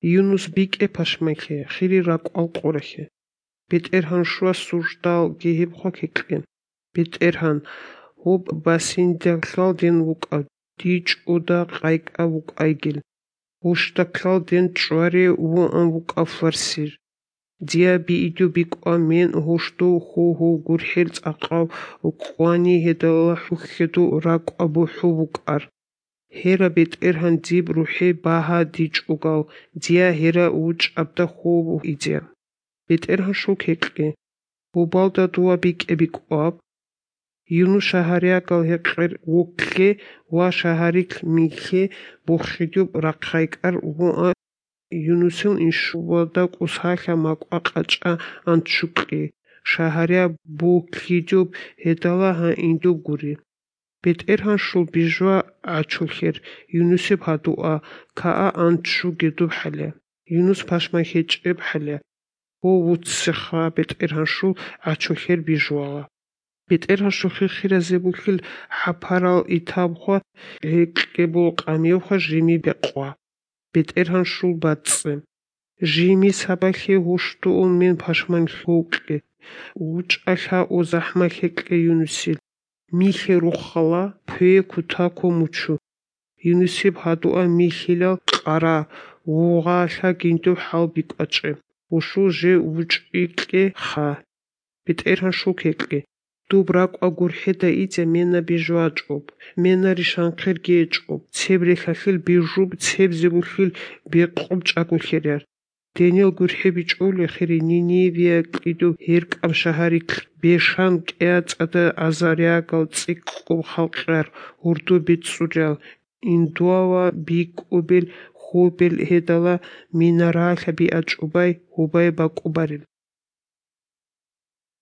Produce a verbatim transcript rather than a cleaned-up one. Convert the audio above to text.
Юнус, бикӀе пашманлъи, хири ракӀвал къорахье. БетӀергьан, щуа суждал гьеб хъвакӀ гьекъе. БетӀергьан, гьоб басиндалъал ден вукӀа, дичӀуда къайкӀа вукӀайгил. Гьущдакалъал ден чӀваре вуан вукӀа фарсир. Дия биидо бикӀва мен гьущдов хьул гьул гурхӀел цӀакъав кӀвани гьедала хӀухьедул ракӀва бухӀу вукӀар. Гьера, БетӀергьан, диб рухӀе багьа дичӀогал, дия гьера вучӀабда хьул иде. БетӀергьан, щук гьекъе. Гьобалда дова бикӀе бикӀваб. Юнус шагьариягал гьекъер вокье ва шагьарилъ михье буххидуб рахъайкӀар вуа. Юнусил иншубада кӀусалъа макӀва къачӀа анчукьи, шагьария буххидуб гьедала гьаиндуб гури. БетӀергьан, щул бижва гӀачулъер, Юнусиб гьадуа, каа анчуге дуб хӀале. Юнус пашман гьечӀеб хӀале. Гьо, вуццеха, БетӀергьан, щул гӀачулъер бижвала. БетӀергьан, щухъе хиразебухъил хӀапарал итаб хва, гьекъебул къамив хва жими бекъва. БетӀергьан, щул бацӀцӀе. Жими сабалъе гьущдуун мен пашман лъукье, вучӀалъа у захӀмалъе кье Юнусил. Михье руххала, пуе кутако мучу. Юнусиб гьадуа михьилал къара, вугъалъа гьиндуб хӀал бикӀвачӀеб, гьущул жив вучӀикье ха. БетӀергьан, щук гьекъе. Дуб ракӀва гурхӀеда иде мена бижвачӀуб, мена ришанхъир гьечӀуб, цебрелъалъил бижуб цебзебулъил бекъуб чӀаголъерар. Дениел гурхӀебичӀулехъе Ниневия кӀидуб гьеркӀаб шагьарилъ бешан кӀияцӀада азариягал цӀикӀкӀуб халкъар гьурду бицӀцӀурал, индуава бикӀубел хьубел гьедала минаралъа биачӀубай гьубай бакӀубарел.